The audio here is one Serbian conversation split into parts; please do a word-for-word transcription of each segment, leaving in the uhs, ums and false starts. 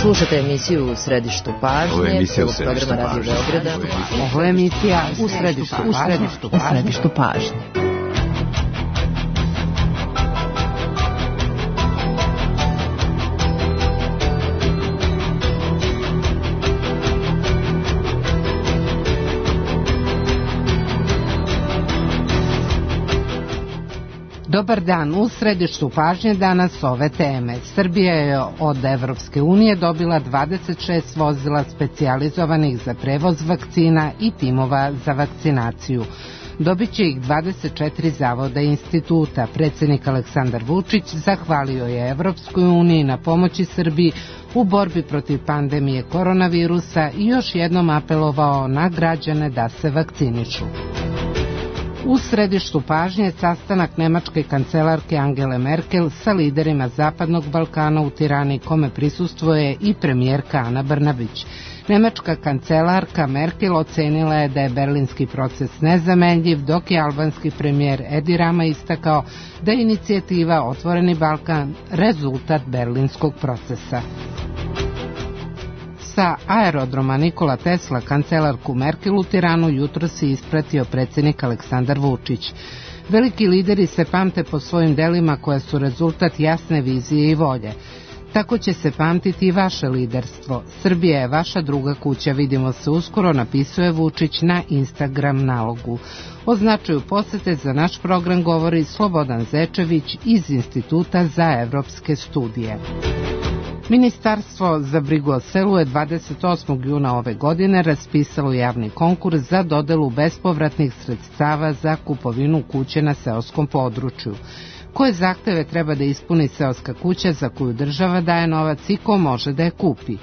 Slušate emisiju U središtu pažnje. Ovo je emisija U središtu pažnje. Radio Beograda. Ovo je emisija U središtu pažnje. U središtu pažnje. Dobar dan, u središtu pažnje danas ove teme. Srbija je od Evropske unije dobila dvadeset šest vozila specijalizovanih za prevoz vakcina i timova za vakcinaciju. Dobit će ih dvadeset četiri zavoda i instituta. Predsjednik Aleksandar Vučić zahvalio je Evropskoj uniji na pomoći Srbiji u borbi protiv pandemije koronavirusa i još jednom apelovao na građane da se vakcinišu. U središtu pažnje sastanak nemačke kancelarke Angele Merkel sa liderima Zapadnog Balkana u Tirani, kome prisustvuje i premijerka Ana Brnabić. Nemačka kancelarka Merkel ocenila je da je berlinski proces nezamenljiv, dok je albanski premijer Edi Rama istakao da je inicijativa Otvoreni Balkan rezultat berlinskog procesa. Sa aerodroma Nikola Tesla kancelarku Merkel u Tiranu jutro si ispratio predsjednik Aleksandar Vučić. Veliki lideri se pamte po svojim delima koja su rezultat jasne vizije i volje. Tako će se pamtiti i vaše liderstvo. Srbija je vaša druga kuća, vidimo se uskoro, napisuje Vučić na Instagram nalogu. O značaju posete za naš program govori Slobodan Zečević iz Instituta za evropske studije. Ministarstvo za brigu o selu je dvadeset osmog juna ove godine raspisalo javni konkurs za dodelu bespovratnih sredstava za kupovinu kuće na seoskom području. Koje zahteve treba da ispuni seoska kuća za koju država daje novac i ko može da je kupi?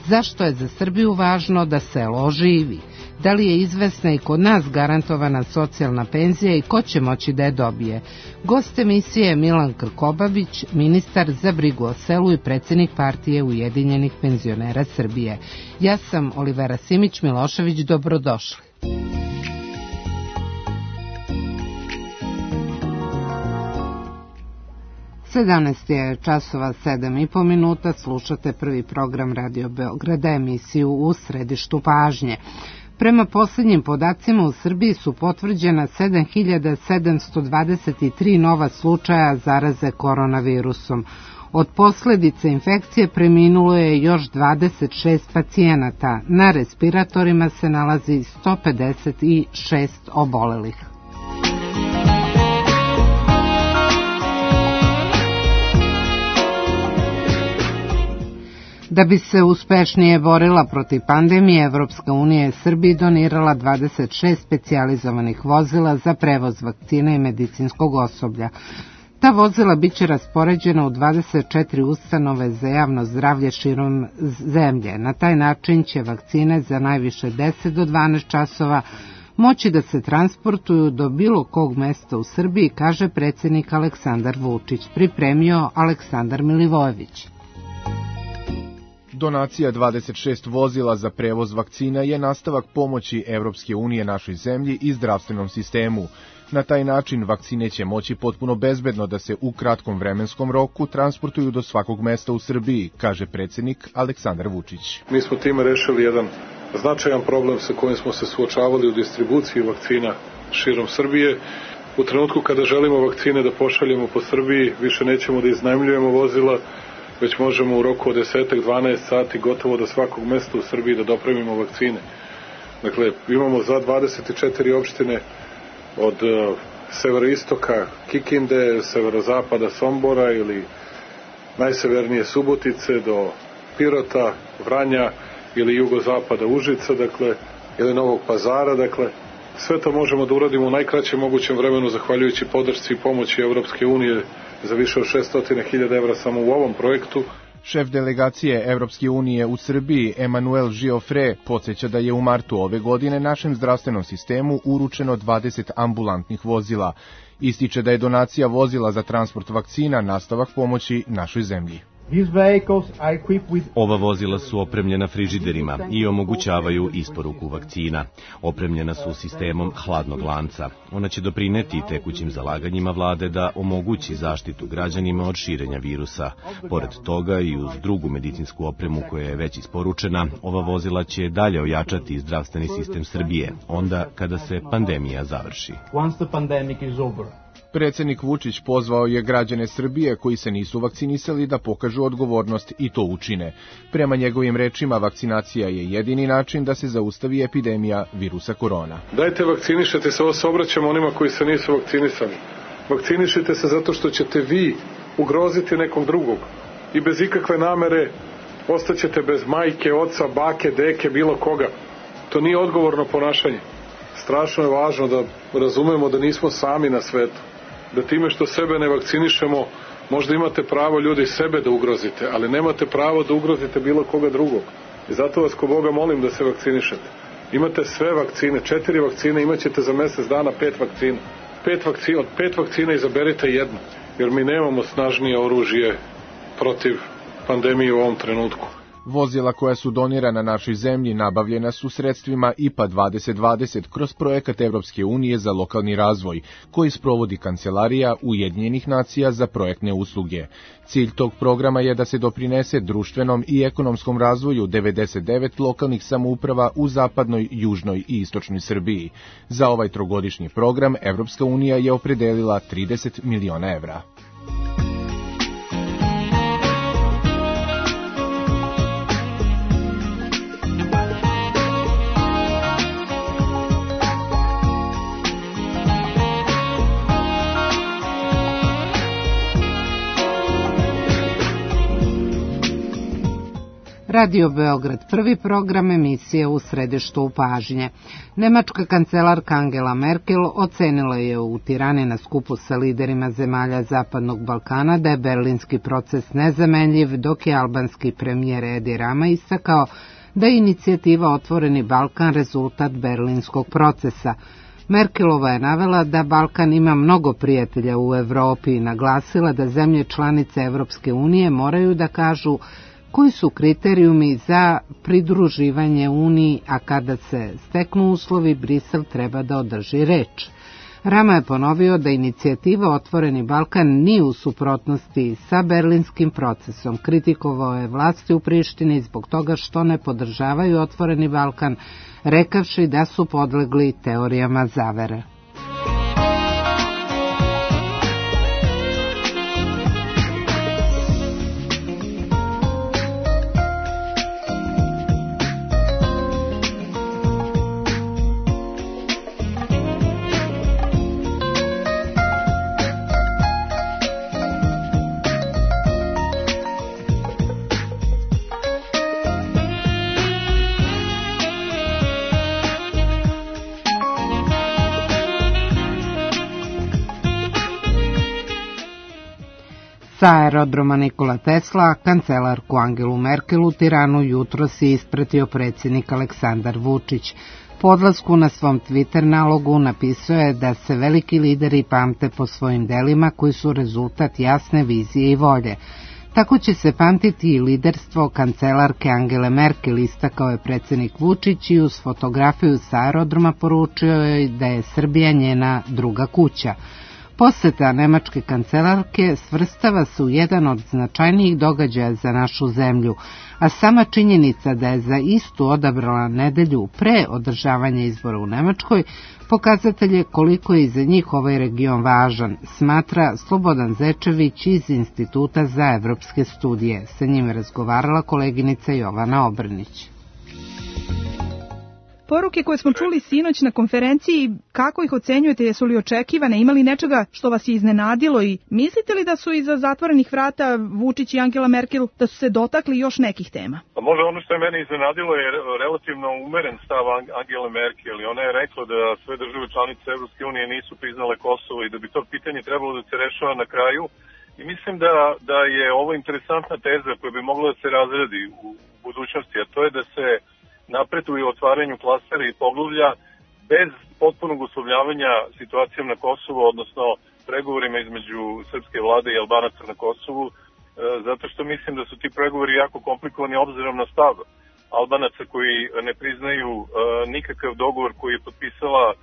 Zašto je za Srbiju važno da selo oživi? Da li je izvesna i kod nas garantovana socijalna penzija i ko će moći da je dobije? Gost emisije je Milan Krkobabić, ministar za brigu o selu i predsjednik partije Ujedinjenih penzionera Srbije. Ja sam Olivera Simić-Milošević, dobrodošli. sedamnaest je časova sedam i po minuta, slušate prvi program Radio Beograda, emisiju U središtu pažnje. Prema posljednjim podacima u Srbiji su potvrđena sedam hiljada sedamsto dvadeset tri nova slučaja zaraze koronavirusom. Od posljedice infekcije preminulo je još dvadeset šest pacijenata. Na respiratorima se nalazi sto pedeset šest obolelih. Da bi se uspešnije borila protiv pandemije, Evropska unija je Srbiji donirala dvadeset šest specijalizovanih vozila za prevoz vakcina i medicinskog osoblja. Ta vozila biće raspoređena u dvadeset četiri ustanove za javno zdravlje širom zemlje. Na taj način će vakcine za najviše deset do dvanaest časova moći da se transportuju do bilo kog mesta u Srbiji, kaže predsjednik Aleksandar Vučić, pripremio Aleksandar Milivojević. Donacija dvadeset šest vozila za prevoz vakcina je nastavak pomoći Evropske unije našoj zemlji i zdravstvenom sistemu. Na taj način vakcine će moći potpuno bezbedno da se u kratkom vremenskom roku transportuju do svakog mesta u Srbiji, kaže predsjednik Aleksandar Vučić. Mi smo time rešili jedan značajan problem sa kojim smo se suočavali u distribuciji vakcina širom Srbije. U trenutku kada želimo vakcine da pošaljemo po Srbiji, više nećemo da iznajmljujemo vozila, već možemo u roku od deset do dvanaest sati gotovo do svakog mesta u Srbiji da dopremimo vakcine. Dakle, imamo za dvadeset četiri opštine od uh, severoistoka Kikinde, severozapada Sombora ili najsevernije Subotice do Pirota, Vranja ili jugozapada Užica, dakle, ili Novog Pazara, dakle, sve to možemo da uradimo u najkraćem mogućem vremenu zahvaljujući podršci i pomoći Evropske unije za više od šesto hiljada evra samo u ovom projektu. Šef delegacije Evropske unije u Srbiji, Emanuel Giofre, podsjeća da je u martu ove godine našem zdravstvenom sistemu uručeno dvadeset ambulantnih vozila. Ističe da je donacija vozila za transport vakcina nastavak pomoći našoj zemlji. Ova vozila su opremljena frižiderima i omogućavaju isporuku vakcina. Opremljena su sistemom hladnog lanca. Ona će doprineti tekućim zalaganjima vlade da omogući zaštitu građanima od širenja virusa. Pored toga i uz drugu medicinsku opremu koja je već isporučena, ova vozila će dalje ojačati zdravstveni sistem Srbije, onda kada se pandemija završi. Predsednik Vučić pozvao je građane Srbije koji se nisu vakcinisali da pokažu odgovornost i to učine. Prema njegovim rečima, vakcinacija je jedini način da se zaustavi epidemija virusa korona. Dajte vakcinišete se, ovo se obraćamo onima koji se nisu vakcinisali. Vakcinišite se zato što ćete vi ugroziti nekog drugog i bez ikakve namere ostaćete bez majke, oca, bake, deke, bilo koga. To nije odgovorno ponašanje. Strašno je važno da razumemo da nismo sami na svetu. Da time što sebe ne vakcinišemo, možda imate pravo ljudi sebe da ugrozite, ali nemate pravo da ugrozite bilo koga drugog. I zato vas ko Boga molim da se vakcinišete. Imate sve vakcine, četiri vakcine, imat ćete za mesec dana pet vakcina. Pet vakcina, od pet vakcina izaberite jednu, jer mi nemamo snažnije oružje protiv pandemije u ovom trenutku. Vozila koja su donirana našoj zemlji nabavljena su sredstvima I P A dvadeset dvadeset kroz projekat Evropske unije za lokalni razvoj, koji sprovodi Kancelarija Ujedinjenih nacija za projektne usluge. Cilj tog programa je da se doprinese društvenom i ekonomskom razvoju devedeset devet lokalnih samouprava u zapadnoj, južnoj i istočnoj Srbiji. Za ovaj trogodišnji program Evropska unija je opredelila trideset miliona evra. Radio Beograd, prvi program emisije U središtu pažnje. Nemačka kancelarka Angela Merkel ocenila je u Tirani na skupu sa liderima zemalja Zapadnog Balkana da je berlinski proces nezamenljiv, dok je albanski premijer Edi Rama istakao da je inicijativa Otvoreni Balkan rezultat berlinskog procesa. Merkelova je navela da Balkan ima mnogo prijatelja u Evropi i naglasila da zemlje članice Evropske unije moraju da kažu koji su kriterijumi za pridruživanje Uniji, a kada se steknu uslovi, Brisel treba da održi reč. Rama je ponovio da inicijativa Otvoreni Balkan nije u suprotnosti sa berlinskim procesom. Kritikovao je vlasti u Prištini zbog toga što ne podržavaju Otvoreni Balkan, rekavši da su podlegli teorijama zavere. Sa aerodroma Nikola Tesla, kancelarku Angelu Merkel u Tiranu jutros je ispratio predsjednik Aleksandar Vučić. Po odlasku na svom Twitter nalogu napisao je da se veliki lideri pamte po svojim delima koji su rezultat jasne vizije i volje. Tako će se pamtiti i liderstvo kancelarke Angele Merkel, istakao je predsjednik Vučić i uz fotografiju sa aerodroma poručio je da je Srbija njena druga kuća. Poseta nemačke kancelarke svrstava se u jedan od značajnijih događaja za našu zemlju, a sama činjenica da je za istu odabrala nedelju pre održavanja izbora u Nemačkoj pokazatelj je koliko je za njih ovaj region važan, smatra Slobodan Zečević iz Instituta za evropske studije. Sa njim je razgovarala koleginica Jovana Obrnić. Poruke koje smo čuli sinoć na konferenciji, kako ih ocenjujete, jesu li očekivane, imali nečega što vas je iznenadilo i mislite li da su iza zatvorenih vrata Vučić i Angela Merkel da su se dotakli još nekih tema? Pa možda ono što je mene iznenadilo je relativno umeren stav Angele Merkel i ona je rekla da sve države članice Evropske unije nisu priznale Kosovo i da bi to pitanje trebalo da se rešava na kraju i mislim da, da je ovo interesantna teza koja bi mogla da se razredi u budućnosti, a to je da se napreduje u otvaranju klastera i poglavlja bez potpunog uslovljavanja situacijom na Kosovu, odnosno pregovorima između srpske vlade i Albanaca na Kosovu zato što mislim da su ti pregovori jako komplikovani obzirom na stav Albanaca koji ne priznaju nikakav dogovor koji je potpisala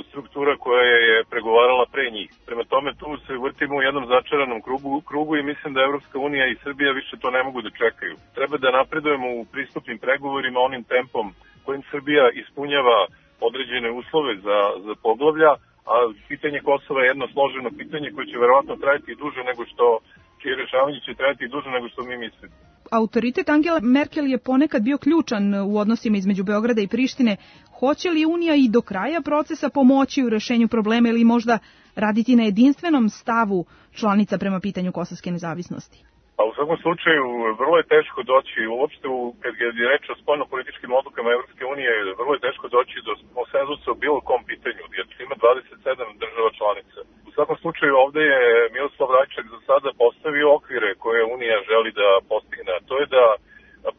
struktura koja je pregovarala pre njih. Prema tome tu se vrtimo u jednom začaranom krugu, krugu i mislim da Evropska unija i Srbija više to ne mogu da čekaju. Treba da napredujemo u pristupnim pregovorima onim tempom kojim Srbija ispunjava određene uslove za, za poglavlja, a pitanje Kosova je jedno složeno pitanje koje će verovatno trajati duže nego što, čije rešavanje će trajati duže nego što mi mislimo. Autoritet Angela Merkel je ponekad bio ključan u odnosima između Beograda i Prištine. Hoće li Unija i do kraja procesa pomoći u rešenju problema ili možda raditi na jedinstvenom stavu članica prema pitanju kosovske nezavisnosti? Pa u svakom slučaju vrlo je teško doći, uopšte u, kad je reč o spoljnopolitičkim odlukama Evropske unije, vrlo je teško doći do konsenzusa o bilo kom pitanju, jer ima dvadeset sedam država članica. U svakom slučaju ovde je Miroslav Rajčak za sada postavio okvire koje Unija želi da postigne, a to je da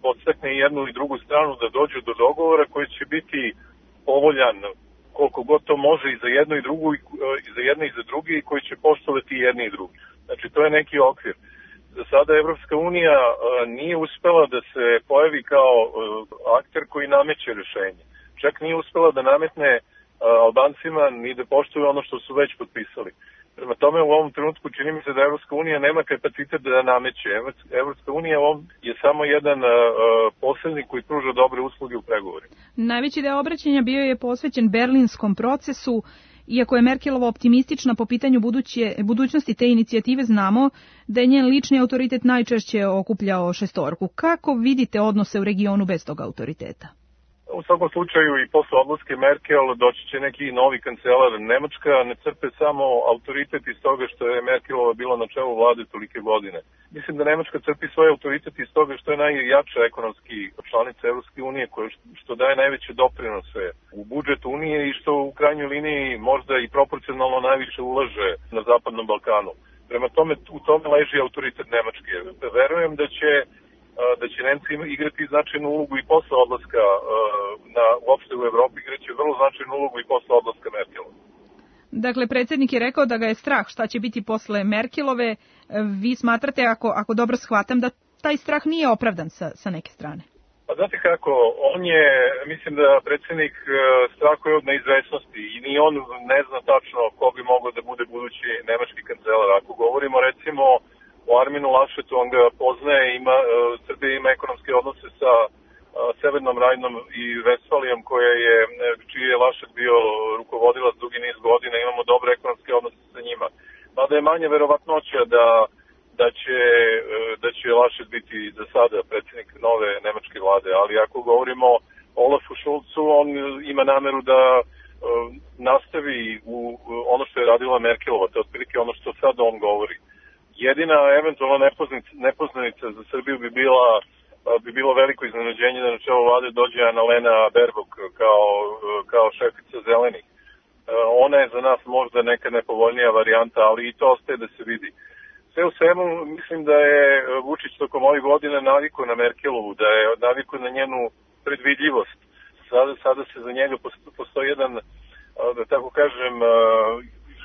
podstakne jednu i drugu stranu da dođu do dogovora koji će biti povoljan koliko god to može i za jednu i drugu, i za jedne i za drugi, i koji će poštovati jedni i drugi. Znači to je neki okvir. Za sada Evropska unija nije uspela da se pojavi kao akter koji nameće rešenje. Čak nije uspela da nametne Albancima ni da poštuju ono što su već potpisali. Prema tome u ovom trenutku čini mi se da Evropska unija nema kapacitet da nameće. Evropska unija je samo jedan posrednik koji pruža dobre usluge u pregovorima. Najveći deo obraćanja bio je posvećen berlinskom procesu. Iako je Merkelova optimistična po pitanju buduće, budućnosti te inicijative, znamo da je njen lični autoritet najčešće okupljao šestorku. Kako vidite odnose u regionu bez tog autoriteta? U svakom slučaju i posle odlaske Merkel doći će neki novi kancelar. Nemačka ne crpe samo autoritet iz toga što je Merkelova bila na čelu vlade tolike godine. Mislim da Nemačka crpi svoj autoritet iz toga što je najjača ekonomski članica Evropske unije, što daje najveće doprinose u budžet Unije i što u krajnjoj liniji možda i proporcionalno najviše ulaže na Zapadnom Balkanu. Prema tome u tome leži autoritet Nemačke. Verujem da će da će Nemci igrati značajnu ulogu i posle odlaska na, uopšte u Evropi, igraće vrlo značajnu ulogu i posle odlaska Merkelova. Dakle, predsjednik je rekao da ga je strah šta će biti posle Merkelove. Vi smatrate, ako, ako dobro shvatam, da taj strah nije opravdan sa, sa neke strane? Pa znate kako, on je, mislim da predsjednik strahuje od neizvesnosti i ni on ne zna tačno ko bi mogao da bude budući nemački kancelar. Ako govorimo recimo o Arminu Lašetu, on ga poznaje, ima, Srbija ima ekonomske odnose sa Severnom Rajnom i Vestfalijom, koja je, čiji je Lašet bio rukovodilac dugi niz godina, imamo dobre ekonomske odnose sa njima. Mada je manje verovatnoća da, da, će, da će Lašet biti za sada predsjednik nove nemačke vlade, ali ako govorimo o Olafu Šulcu, on ima nameru da nastavi u ono što je radila Merkelova, to je otprilike ono što sad on govori. Jedina eventualna nepoznanica, nepoznanica za Srbiju bi bila bi bilo veliko iznenađenje da na čelo vlade dođe Annalena Baerbock kao, kao šefica Zelenih. Ona je za nas možda neka nepovoljnija varijanta, ali i to ostaje da se vidi. Sve u svemu mislim da je Vučić tokom ovih godina navikao na Merkelovu, da je navikao na njenu predvidljivost. Sada, sada se za njega postoji jedan, da tako kažem,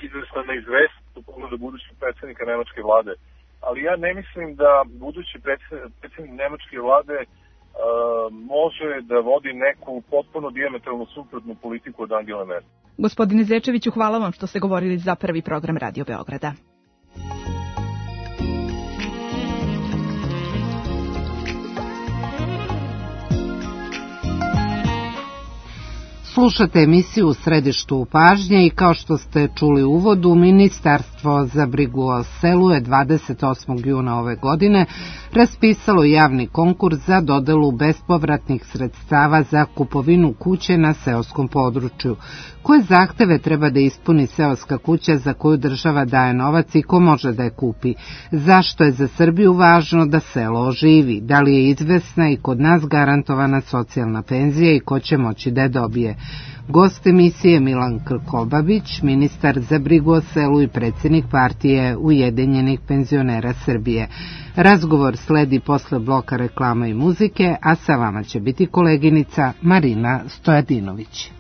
izvesna neizvesnost u pogledu budućeg predsjednika nemačke vlade. Ali ja ne mislim da budući predsjednik nemačke vlade uh, može da vodi neku potpuno dijametralno suprotnu politiku od Angela Merkel. Gospodine Zečeviću, hvala vam što ste govorili za prvi program Radio Beograda. Slušate emisiju U središtu pažnje i kao što ste čuli u uvodu, Ministarstvo za brigu o selu je dvadeset osmog juna ove godine raspisalo javni konkurs za dodelu bespovratnih sredstava za kupovinu kuće na seoskom području. Koje zahteve treba da ispuni seoska kuća za koju država daje novac i ko može da je kupi? Zašto je za Srbiju važno da selo oživi? Da li je izvesna i kod nas garantovana socijalna penzija i ko će moći da je dobije? Gost emisije Milan Krkobabić, ministar za brigu o selu i predsjednik partije Ujedinjenih penzionera Srbije. Razgovor sledi posle bloka reklama i muzike, a sa vama će biti koleginica Marina Stojadinović.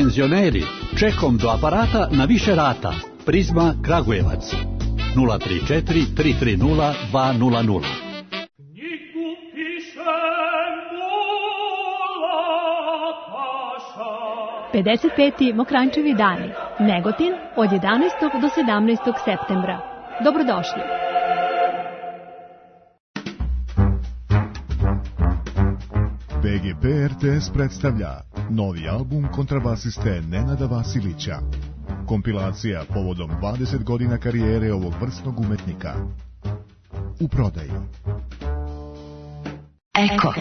penzioneri, čekom do aparata na više rata. Prizma Kragujevac nula tri četiri tri tri nula dva nula nula. pedeset peti Mokranjčevi dani, Negotin, od jedanaestog do sedamnaestog septembra. Dobrodošli. B G P R T S predstavlja novi album kontrabasiste Nenada Vasilića. Kompilacija povodom dvadeset godina karijere ovog vrsnog umetnika. U prodaji. Eko.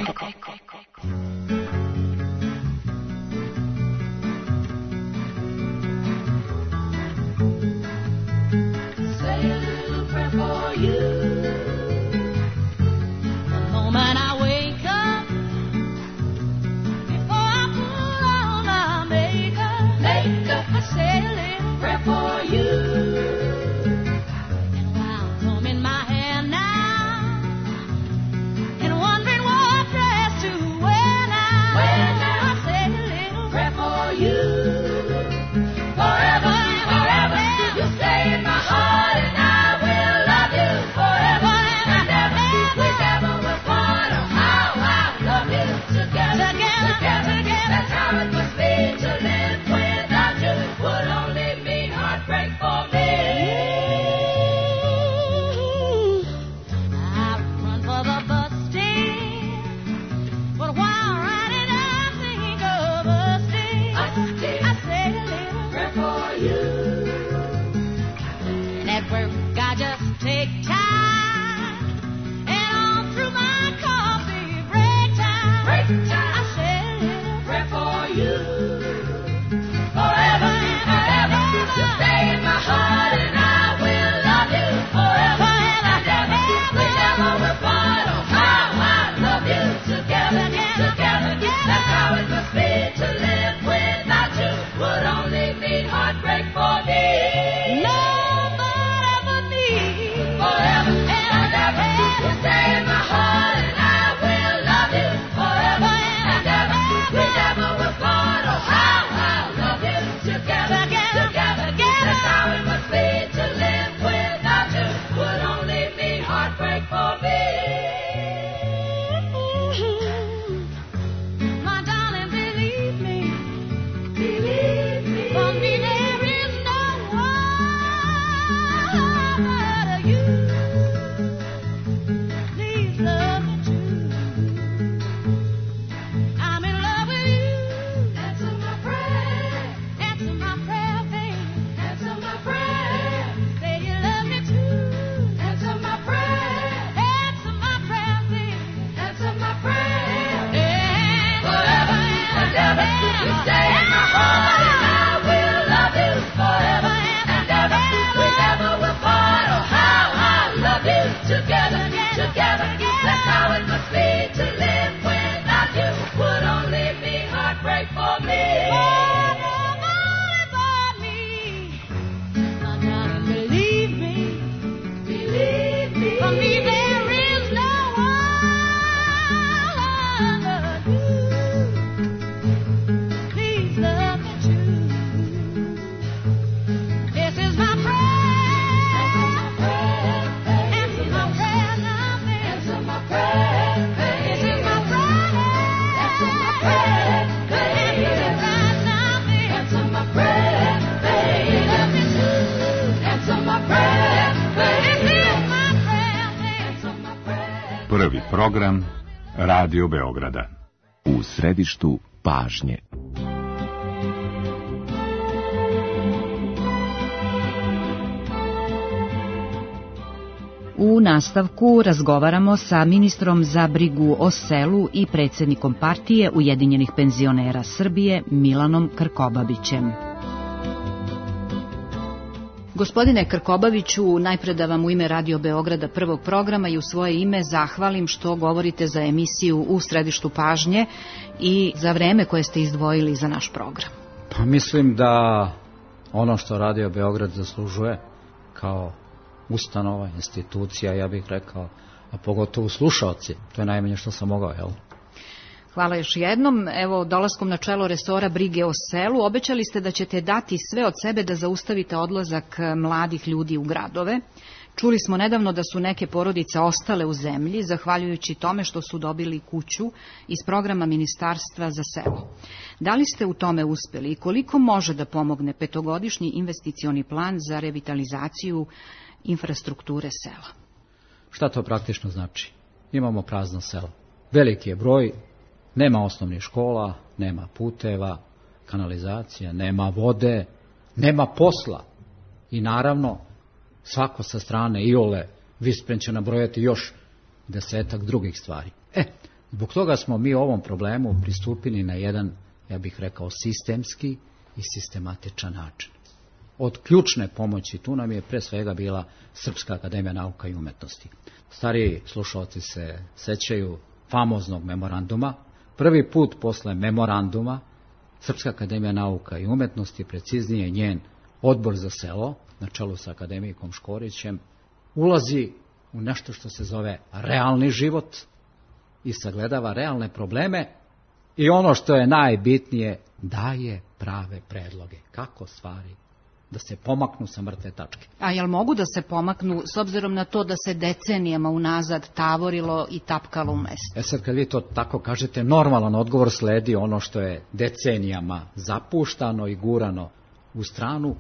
Prvi program Radio Beograda. U središtu pažnje. U nastavku razgovaramo sa ministrom za brigu o selu i predsjednikom partije Ujedinjenih penzionera Srbije Milanom Krkobabićem. Gospodine Krkobabiću, najpre da vam u ime Radio Beograda prvog programa i u svoje ime zahvalim što govorite za emisiju U središtu pažnje i za vreme koje ste izdvojili za naš program. Pa mislim da ono što Radio Beograd zaslužuje kao ustanova, institucija, ja bih rekao, a pogotovo slušaoci, to je najmanje što sam mogao, jel? Hvala još jednom. Evo, dolaskom na čelo resora brige o selu, obećali ste da ćete dati sve od sebe da zaustavite odlazak mladih ljudi u gradove. Čuli smo nedavno da su neke porodice ostale u zemlji, zahvaljujući tome što su dobili kuću iz programa Ministarstva za selo. Da li ste u tome uspeli i koliko može da pomogne petogodišnji investicioni plan za revitalizaciju infrastrukture sela? Šta to praktično znači? Imamo prazno selo. Veliki je broj, nema osnovnih škola, nema puteva, kanalizacija, nema vode, nema posla. I naravno, svako sa strane iole Vispren će nabrojati još desetak drugih stvari. E, zbog toga smo mi ovom problemu pristupili na jedan, ja bih rekao, sistemski i sistematičan način. Od ključne pomoći tu nam je pre svega bila Srpska akademija nauka i umetnosti. Stariji slušalci se sećaju famoznog memoranduma. Prvi put posle memoranduma Srpska akademija nauka i umetnosti, preciznije njen odbor za selo, na čelu sa akademikom Škorićem, ulazi u nešto što se zove realni život i sagledava realne probleme i ono što je najbitnije, daje prave predloge kako stvari da se pomaknu sa mrtve tačke. A jel mogu da se pomaknu s obzirom na to da se decenijama unazad tavorilo i tapkalo u mestu? E sad kad vi to tako kažete, normalan odgovor sledi ono što je decenijama zapuštano i gurano u stranu.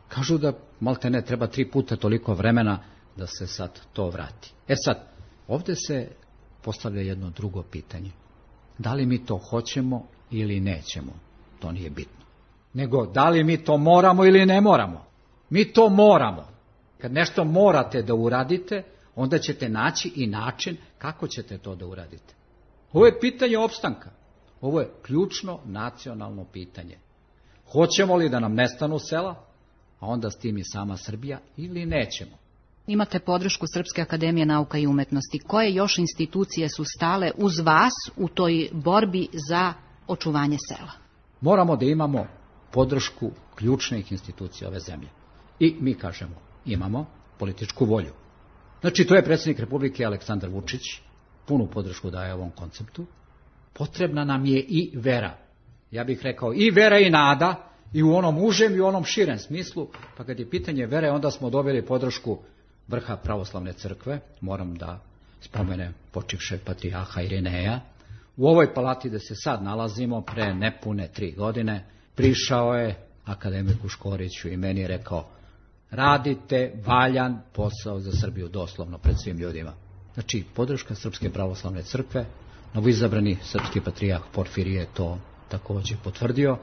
Kažu da malte ne treba tri puta toliko vremena da se sad to vrati. E sad, ovdje se postavlja jedno drugo pitanje. Da li mi to hoćemo ili nećemo? To nije bitno. Nego, da li mi to moramo ili ne moramo? Mi to moramo. Kad nešto morate da uradite, onda ćete naći i način kako ćete to da uradite. Ovo je pitanje opstanka. Ovo je ključno nacionalno pitanje. Hoćemo li da nam nestanu sela, a onda s tim i sama Srbija, ili nećemo? Imate podršku Srpske akademije nauka i umetnosti. Koje još institucije su stale uz vas u toj borbi za očuvanje sela? Moramo da imamo podršku ključnih institucija ove zemlje. I mi kažemo, imamo političku volju. Znači, to je predsjednik Republike Aleksandar Vučić, punu podršku daje ovom konceptu. Potrebna nam je i vera. Ja bih rekao i vera i nada, i u onom užem i u onom širem smislu, pa kad je pitanje vere, onda smo dobili podršku vrha pravoslavne crkve, moram da spomenem počivšeg patrijarha Irineja. U ovoj palati gde se sad nalazimo, pre nepune tri godine, prišao je akademiku Škoriću i meni je rekao, radite valjan posao za Srbiju, doslovno, pred svim ljudima. Znači, podrška Srpske pravoslavne crkve, novoizabrani srpski patrijarh Porfirije je to također potvrdio,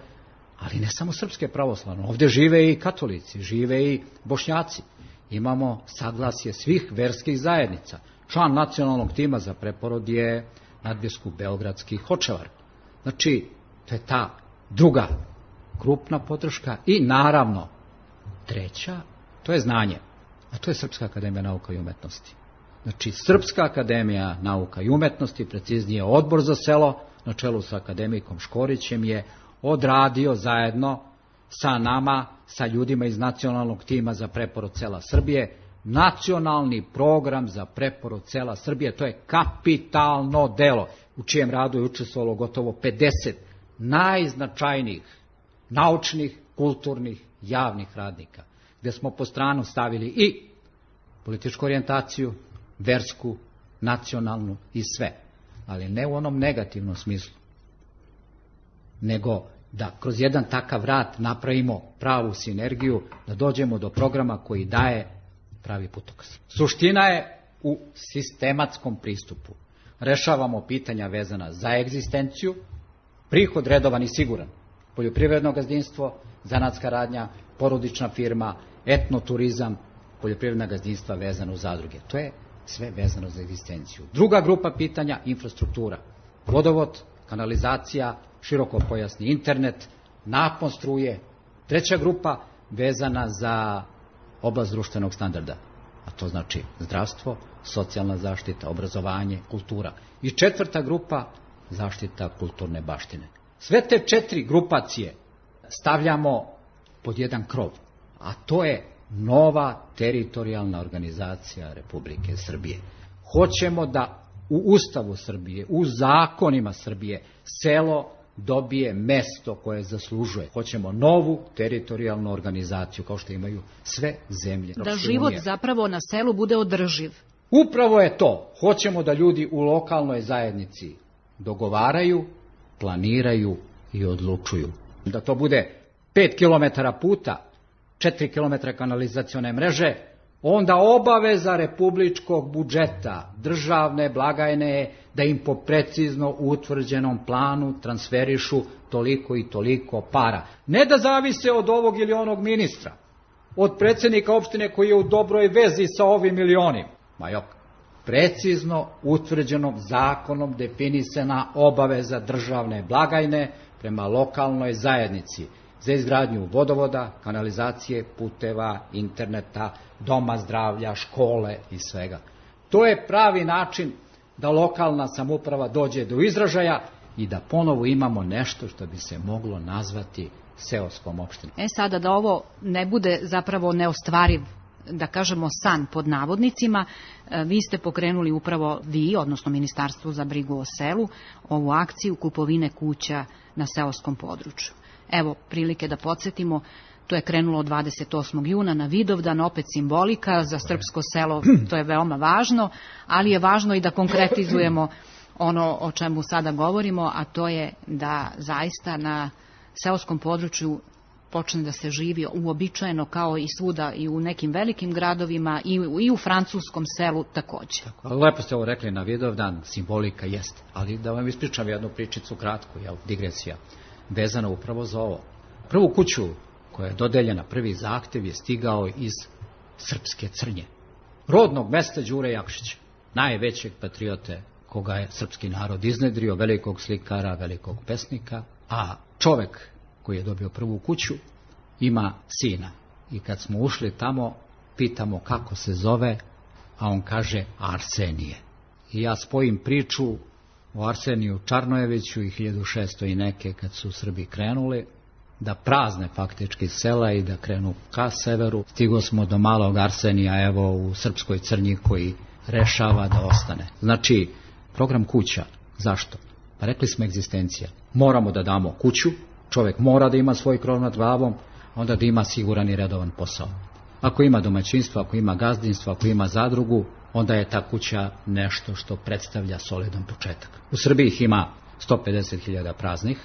ali ne samo Srpske pravoslavne, ovdje žive i katolici, žive i Bošnjaci. Imamo saglasje svih verskih zajednica. Član nacionalnog tima za preporod je nadbiskup beogradski Hočevar. Znači, to je ta druga krupna podrška i naravno treća, to je znanje, a to je Srpska akademija nauka i umetnosti. Znači, Srpska akademija nauka i umetnosti, preciznije odbor za selo, na čelu sa akademikom Škorićem, je odradio zajedno sa nama, sa ljudima iz nacionalnog tima za preporod sela Srbije, nacionalni program za preporod sela Srbije. To je kapitalno delo u čijem radu je učestvovalo gotovo pedeset najznačajnijih naučnih, kulturnih, javnih radnika, gdje smo po stranu stavili i političku orijentaciju, versku, nacionalnu i sve, ali ne u onom negativnom smislu, nego da kroz jedan takav rad napravimo pravu sinergiju, da dođemo do programa koji daje pravi putokaz. Suština je u sistematskom pristupu. Rešavamo pitanja vezana za egzistenciju, prihod redovan i siguran, poljoprivredno gazdinstvo, zanatska radnja, porodična firma, etnoturizam, poljoprivredna gazdinstva vezano u zadruge. To je sve vezano za egzistenciju. Druga grupa pitanja, infrastruktura, vodovod, kanalizacija, širokopojasni internet, napon struje. Treća grupa vezana za oblast društvenog standarda, a to znači zdravstvo, socijalna zaštita, obrazovanje, kultura. I četvrta grupa, zaštita kulturne baštine. Sve te četiri grupacije stavljamo pod jedan krov, a to je nova teritorijalna organizacija Republike Srbije. Hoćemo da u Ustavu Srbije, u zakonima Srbije, selo dobije mesto koje zaslužuje. Hoćemo novu teritorijalnu organizaciju, kao što imaju sve zemlje. Da život zapravo na selu bude održiv. Upravo je to. Hoćemo da ljudi u lokalnoj zajednici dogovaraju, planiraju i odlučuju. Da to bude pet kilometara puta, četiri kilometra kanalizacione mreže, onda obaveza republičkog budžeta, državne blagajne je da im po precizno utvrđenom planu transferišu toliko i toliko para. Ne da zavise od ovog ili onog ministra, od predsjednika opštine koji je u dobroj vezi sa ovim ili onim. Ma jok, precizno utvrđenom zakonom definisana obaveza državne blagajne prema lokalnoj zajednici za izgradnju vodovoda, kanalizacije, puteva, interneta, doma zdravlja, škole i svega. To je pravi način da lokalna samouprava dođe do izražaja i da ponovo imamo nešto što bi se moglo nazvati seoskom opštinom. E sada da ovo ne bude zapravo neostvariv, da kažemo san pod navodnicima, vi ste pokrenuli upravo vi, odnosno Ministarstvo za brigu o selu, ovu akciju kupovine kuća na seoskom području. Evo prilike da podsjetimo, to je krenulo dvadeset osmog juna na Vidovdan, opet simbolika za srpsko selo, to je veoma važno, ali je važno i da konkretizujemo ono o čemu sada govorimo, a to je da zaista na seoskom području počne da se živi uobičajeno kao i svuda i u nekim velikim gradovima i, i u francuskom selu takođe. Tako, lepo ste ovo rekli, na Vidovdan simbolika jeste, ali da vam ispričam jednu pričicu kratku, jel, digresija, vezana upravo za ovo. Prvu kuću koja je dodeljena, prvi zahtev je stigao iz Srpske Crnje, rodnog mesta Đure Jakšića, najvećeg patriote koga je srpski narod iznedrio, velikog slikara, velikog pesnika, a čovek koji je dobio prvu kuću ima sina. I kad smo ušli tamo, pitamo kako se zove, a on kaže Arsenije. I ja spojim priču o Arseniju Čarnojeviću i hiljadu šesto i neke kad su Srbi krenuli da prazne faktički sela i da krenu ka severu. Stigo smo do malog Arsenija, evo u Srpskoj Crnji, koji rešava da ostane. Znači, program kuća. Zašto? Pa rekli smo egzistencija. Moramo da damo kuću, čovjek mora da ima svoj krov nad glavom, onda da ima siguran i redovan posao. Ako ima domaćinstvo, ako ima gazdinstvo, ako ima zadrugu, onda je ta kuća nešto što predstavlja solidan početak. U Srbiji ih ima sto pedeset hiljada praznih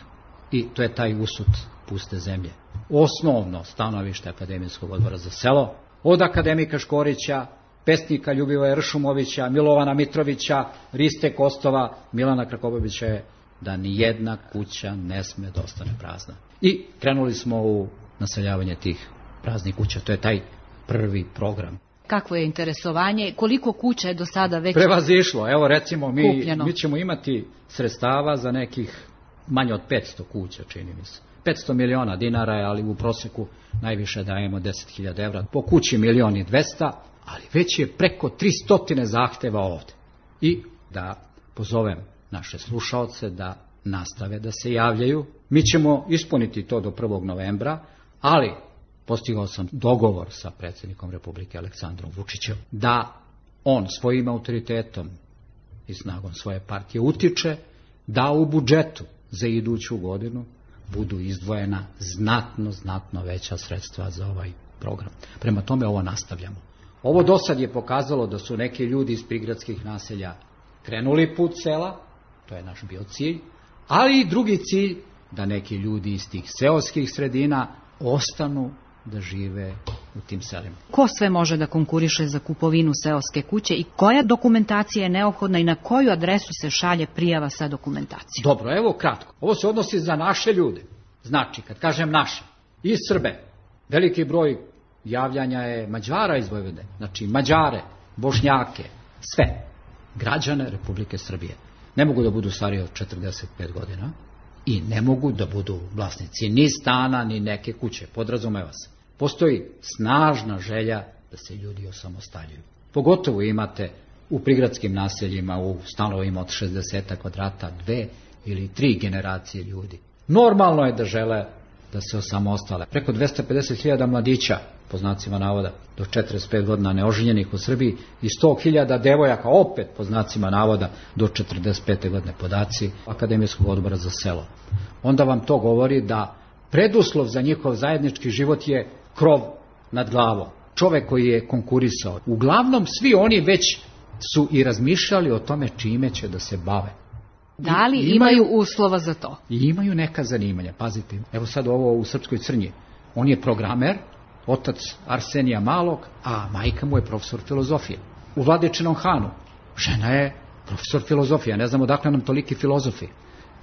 i to je taj usud puste zemlje. Osnovno stanovište Akademijskog odbora za selo, od akademika Škorića, pesnika Ljubivoja Ršumovića, Milovana Mitrovića, Riste Kostova, Milana Krakobabića je da ni jedna kuća ne sme da ostane prazna. I krenuli smo u naseljavanje tih praznih kuća. To je taj prvi program. Kakvo je interesovanje? Koliko kuća je do sada već prevazišlo? Evo recimo mi, kupljeno? Mi ćemo imati sredstava za nekih manje od petsto kuća, čini mi se. petsto miliona dinara je, ali u proseku najviše dajemo deset hiljada evra. Po kući milion i dvesta, ali već je preko tristo zahteva ovde. I da pozovem naše slušaoce da nastave da se javljaju. Mi ćemo ispuniti to do prvog novembra, ali postigao sam dogovor sa predsjednikom Republike Aleksandrom Vučićem da on svojim autoritetom i snagom svoje partije utiče da u budžetu za iduću godinu budu izdvojena znatno, znatno veća sredstva za ovaj program. Prema tome ovo nastavljamo. Ovo do sad je pokazalo da su neki ljudi iz prigradskih naselja krenuli put sela, to je naš bio cilj, ali i drugi cilj da neki ljudi iz tih seoskih sredina ostanu da žive u tim selima. Ko sve može da konkuriše za kupovinu seoske kuće i koja dokumentacija je neophodna i na koju adresu se šalje prijava sa dokumentacijom? Dobro, evo kratko. Ovo se odnosi za naše ljude. Znači, kad kažem naše, i Srbe, veliki broj javljanja je Mađara iz Vojvodine, znači Mađare, Bošnjake, sve građane Republike Srbije. Ne mogu da budu stariji od četrdeset pet godina i ne mogu da budu vlasnici ni stana, ni neke kuće, podrazumeva se. Postoji snažna želja da se ljudi osamostaljuju. Pogotovo imate u prigradskim naseljima, u stanovima od šezdeset kvadrata, dve ili tri generacije ljudi. Normalno je da žele da se osamostale. Preko dvesta pedeset hiljada mladića, po znacima navoda, do četrdeset pet godina neoženjenih u Srbiji i sto hiljada devojaka, opet po znacima navoda, do četrdeset pete godine, podaci Akademijskog odbora za selo. Onda vam to govori da preduslov za njihov zajednički život je krov nad glavom. Čovek koji je konkurisao. Uglavnom svi oni već su i razmišljali o tome čime će da se bave. Da li imaju, imaju uslova za to? I imaju neka zanimanja. Pazite, evo sad ovo u Srpskoj Crnji. On je programer, otac Arsenija Malog, a majka mu je profesor filozofije. U Vladičinom Hanu žena je profesor filozofije. Ne znam odakle nam toliki filozofi.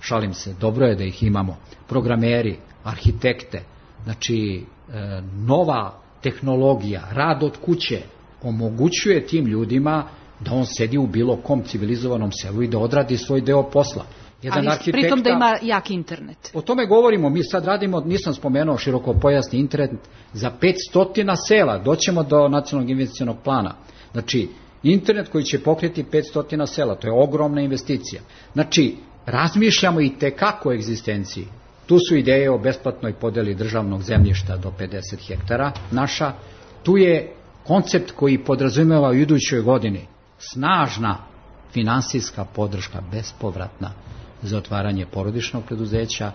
Šalim se, dobro je da ih imamo. Programeri, arhitekte, znači e, nova tehnologija, rad od kuće omogućuje tim ljudima da on sedi u bilo kom civilizovanom selu i da odradi svoj deo posla. Jedan ali arhitekta, pritom da ima jak internet. O tome govorimo, mi sad radimo, nisam spomenuo širokopojasni internet za petsto sela, doćemo do nacionalnog investicionog plana. Znači, internet koji će pokriti petsto sela, to je ogromna investicija. Znači, razmišljamo i tekako o egzistenciji. Tu su ideje o besplatnoj podeli državnog zemljišta do pedeset hektara naša. Tu je koncept koji podrazumeva u idućoj godini snažna finansijska podrška, bespovratna, za otvaranje porodičnog preduzeća,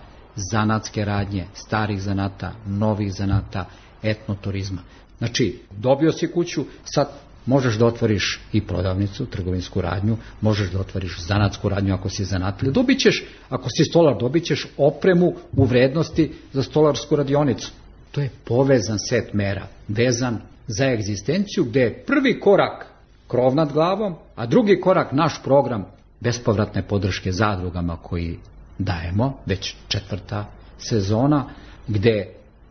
zanatske radnje, starih zanata, novih zanata, etnoturizma. Znači, dobio si kuću, sad možeš da otvoriš i prodavnicu, trgovinsku radnju, možeš da otvoriš zanatsku radnju ako si zanatlija. Dobit ćeš, ako si stolar, dobit ćeš opremu u vrednosti za stolarsku radionicu. To je povezan set mera, vezan za egzistenciju, gde je prvi korak krov nad glavom, a drugi korak naš program bespovratne podrške zadrugama koji dajemo, već četvrta sezona, gde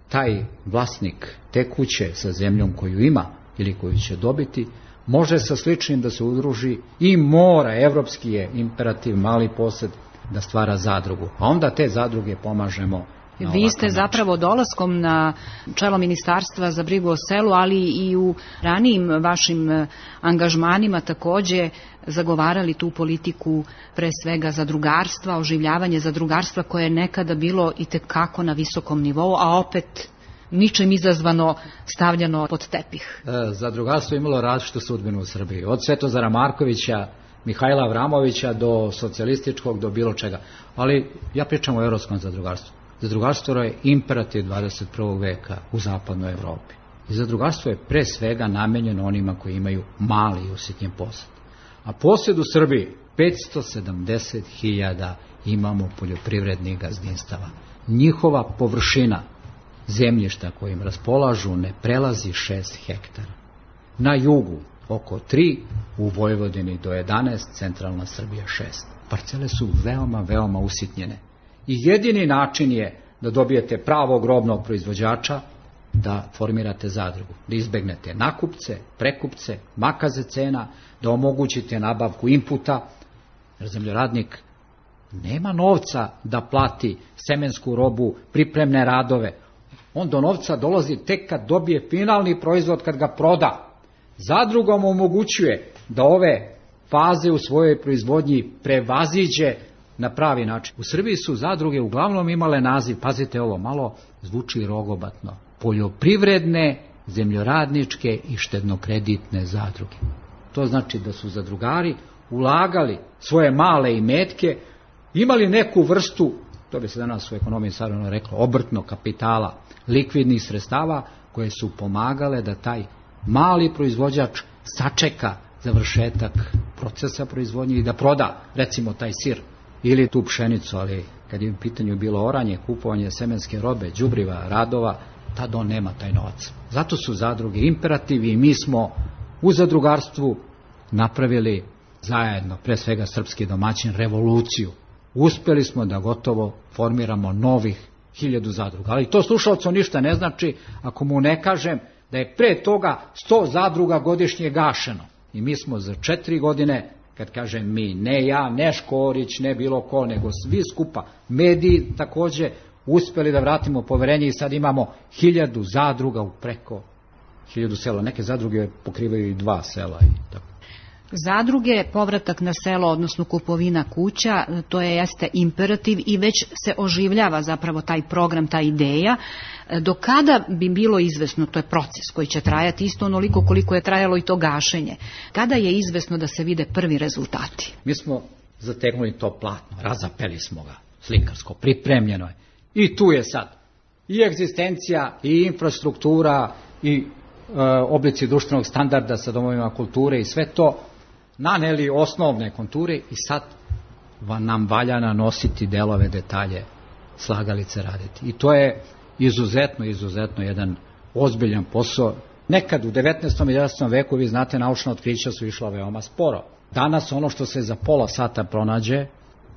taj vlasnik te kuće sa zemljom koju ima ili koju će dobiti, može sa sličnim da se udruži i mora, evropski je imperativ, mali posed, da stvara zadrugu. A onda te zadruge pomažemo. Vi ste zapravo dolaskom na čelo Ministarstva za brigu o selu, ali i u ranijim vašim angažmanima takođe zagovarali tu politiku pre svega zadrugarstva, oživljavanje zadrugarstva koje je nekada bilo i tekako na visokom nivou, a opet ničem izazvano stavljano pod tepih. E, zadrugarstvo je imalo različitu sudbinu u Srbiji. Od Svetozara Markovića, Mihajla Avramovića do socijalističkog, do bilo čega. Ali ja pričam o evropskom zadrugarstvu. Zadrugarstvo je imperativ dvadeset prvog veka u zapadnoj Evropi. I zadrugarstvo je pre svega namenjeno onima koji imaju mali i usitnjen posed. A posed u Srbiji petsto sedamdeset hiljada imamo poljoprivrednih gazdinstava. Njihova površina zemljišta kojim raspolažu ne prelazi šest hektara. Na jugu oko tri, u Vojvodini do jedanaest, centralna Srbija šest. Parcele su veoma, veoma usitnjene. I jedini način je da dobijete pravog robnog proizvođača, da formirate zadrugu, da izbegnete nakupce, prekupce, makaze cena, da omogućite nabavku inputa, jer zemljoradnik nema novca da plati semensku robu, pripremne radove. On do novca dolazi tek kad dobije finalni proizvod, kad ga proda. Zadrugom omogućuje da ove faze u svojoj proizvodnji prevaziđe na pravi način. U Srbiji su zadruge uglavnom imale naziv, pazite ovo, malo zvuči rogobatno, poljoprivredne, zemljoradničke i štednokreditne zadruge. To znači da su zadrugari ulagali svoje male imetke, imali neku vrstu, to bi se danas u ekonomiji savremenom reklo, obrtnog kapitala, likvidnih sredstava koje su pomagale da taj mali proizvođač sačeka završetak procesa proizvodnje i da proda, recimo, taj sir ili tu pšenicu, ali kad je u pitanju bilo oranje, kupovanje semenske robe, đubriva, radova, tad on nema taj novac. Zato su zadruge imperativi i mi smo u zadrugarstvu napravili zajedno, pre svega srpski domaćin, revoluciju. Uspeli smo da gotovo formiramo novih hiljadu zadruga. Ali to slušalcu ništa ne znači ako mu ne kažem da je pre toga sto zadruga godišnje gašeno. I mi smo za četiri godine, kad kažem mi, ne ja, ne Škorić, ne bilo ko, nego svi skupa, mediji takođe, uspeli da vratimo poverenje i sad imamo hiljadu zadruga u preko hiljadu sela. Neke zadruge pokrivaju i dva sela i tako. Zadruge, povratak na selo, odnosno kupovina kuća, to je jeste imperativ i već se oživljava zapravo taj program, ta ideja. Do kada bi bilo izvesno, to je proces koji će trajati isto onoliko koliko je trajalo i to gašenje, kada je izvesno da se vide prvi rezultati? Mi smo zategnuli to platno, razapeli smo ga, slikarsko, pripremljeno je. I tu je sad i egzistencija, i infrastruktura, i e, oblici društvenog standarda sa domovima kulture i sve to naneli osnovne konture i sad nam valja nanositi delove, detalje, slagalice raditi. I to je izuzetno, izuzetno jedan ozbiljan posao. Nekad u devetnaestom i dvadesetom veku, vi znate, naučna otkrića su išla veoma sporo. Danas ono što se za pola sata pronađe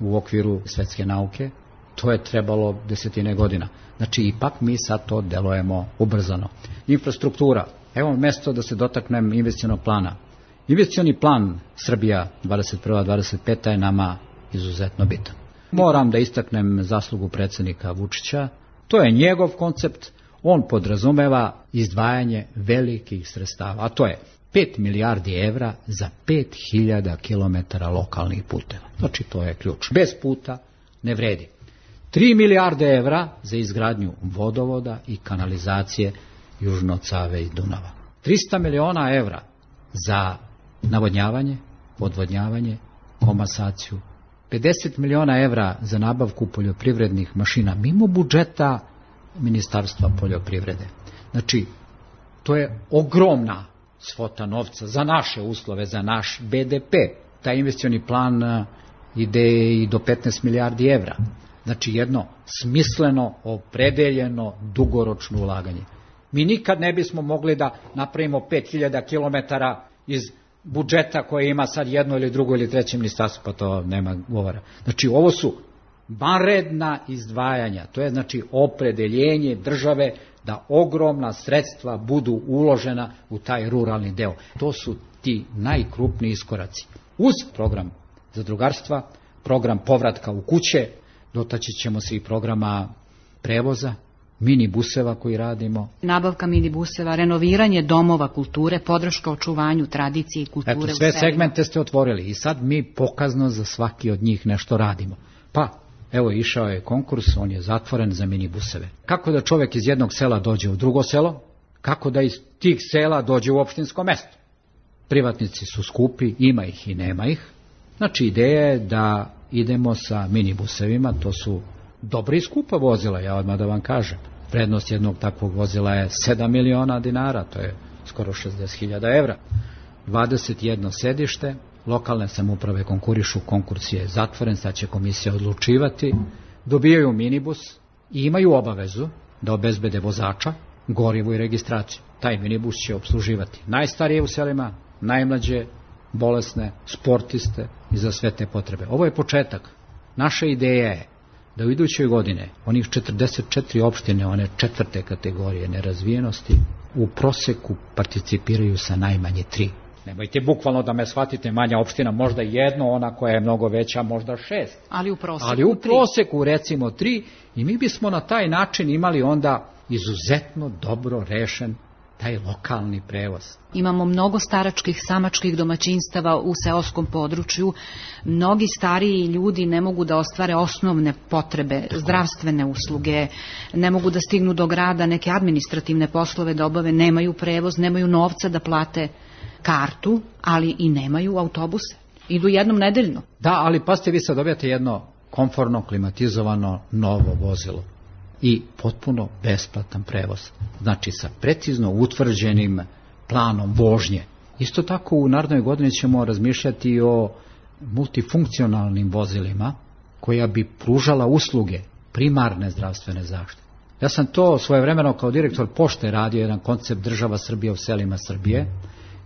u okviru svetske nauke, to je trebalo desetine godina. Znači, ipak mi sad to delujemo ubrzano. Infrastruktura. Evo mesto da se dotaknem investicionog plana. Investicioni plan Srbija dvadeset prva dvadeset peta je nama izuzetno bitan. Moram da istaknem zaslugu predsjednika Vučića. To je njegov koncept. On podrazumeva izdvajanje velikih sredstava, a to je pet milijardi evra za pet hiljada kilometara lokalnih puteva. Znači, to je ključ. Bez puta ne vredi. tri milijarde evra za izgradnju vodovoda i kanalizacije južno od Save i Dunava. trista miliona evra za navodnjavanje, odvodnjavanje, komasaciju. pedeset miliona evra za nabavku poljoprivrednih mašina mimo budžeta Ministarstva poljoprivrede. Znači, to je ogromna svota novca za naše uslove, za naš be de pe. Taj investicioni plan ide i do petnaest milijardi evra. Znači, jedno smisleno, opredeljeno, dugoročno ulaganje. Mi nikad ne bismo mogli da napravimo pet hiljada kilometara iz budžeta koje ima sad jedno ili drugo ili treće ministarstvo, pa to nema govora. Znači, ovo su vanredna izdvajanja, to je znači opredeljenje države da ogromna sredstva budu uložena u taj ruralni deo. To su ti najkrupniji iskoraci. Uz program zadrugarstva, program povratka u kuće, dotaći ćemo se i programa prevoza, minibuseva koji radimo. Nabavka minibuseva, renoviranje domova kulture, podrška očuvanju tradicije i kulture. Eto, sve segmente ste otvorili i sad mi pokazno za svaki od njih nešto radimo. Pa, evo, išao je konkurs, on je zatvoren za minibuseve. Kako da čovjek iz jednog sela dođe u drugo selo? Kako da iz tih sela dođe u opštinsko mesto? Privatnici su skupi, ima ih i nema ih. Znači, ideja je da idemo sa minibusevima, to su dobra i skupa vozila, ja odmah da vam kažem. Vrednost jednog takvog vozila je sedam miliona dinara, to je skoro šezdeset hiljada evra. dvadeset jedno sedište, lokalne samouprave konkurišu, konkurs je zatvoren, sad će komisija odlučivati, dobijaju minibus i imaju obavezu da obezbede vozača, gorivo i registraciju. Taj minibus će obsluživati najstarije u selima, najmlađe, bolesne, sportiste i za sve te potrebe. Ovo je početak. Naša ideja je da u idućoj godine onih četrdeset četiri opštine, one četvrte kategorije nerazvijenosti, u proseku participiraju sa najmanje tri. Nemojte bukvalno da me shvatite, manja opština, možda jedno, ona koja je mnogo veća, možda šest. Ali u proseku, Ali u proseku recimo tri i mi bismo na taj način imali onda izuzetno dobro rešen taj lokalni prevoz. Imamo mnogo staračkih, samačkih domaćinstava u seoskom području. Mnogi stariji ljudi ne mogu da ostvare osnovne potrebe, zdravstvene usluge, ne mogu da stignu do grada, neke administrativne poslove da obave, nemaju prevoz, nemaju novca da plate kartu, ali i nemaju autobuse. Idu jednom nedeljno. Da, ali pa ste vi sad dobijate jedno komfortno, klimatizovano, novo vozilo i potpuno besplatan prevoz. Znači sa precizno utvrđenim planom vožnje. Isto tako u narednoj godini ćemo razmišljati o multifunkcionalnim vozilima koja bi pružala usluge primarne zdravstvene zaštite. Ja sam to svojevremeno kao direktor pošte radio jedan koncept država Srbije u selima Srbije,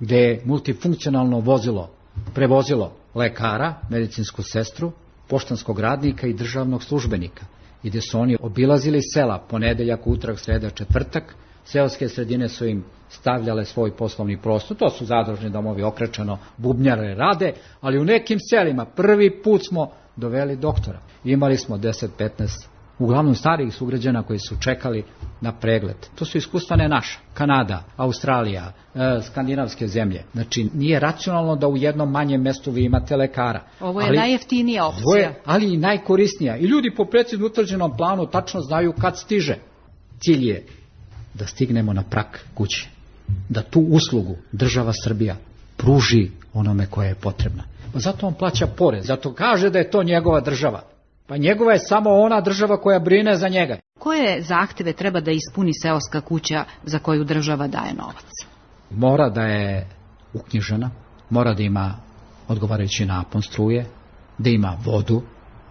gde je multifunkcionalno vozilo prevozilo lekara, medicinsku sestru, poštanskog radnika i državnog službenika. I gde su oni obilazili sela ponedeljak, utorak, sreda, četvrtak. Seoske sredine su im stavljale svoj poslovni prostor. To su zadružni domovi, okrečeno, bubnjare rade, ali u nekim selima prvi put smo doveli doktora. Imali smo deset do petnaest uglavnom starijih sugrađana koji su čekali na pregled. To su iskustva ne naša. Kanada, Australija, e, skandinavske zemlje. Znači, nije racionalno da u jednom manjem mestu vi imate lekara. Ovo je ali, najjeftinija opcija. Ovo je, ali i najkorisnija. I ljudi po precizno utvrđenom planu tačno znaju kad stiže. Cilj je da stignemo na prag kuće. Da tu uslugu država Srbija pruži onome koje je potrebna. Zato on plaća porez. Zato kaže da je to njegova država. Pa njegova je samo ona država koja brine za njega. Koje zahteve treba da ispuni seoska kuća za koju država daje novac? Mora da je uknjižena, mora da ima odgovarajući napon struje, da ima vodu,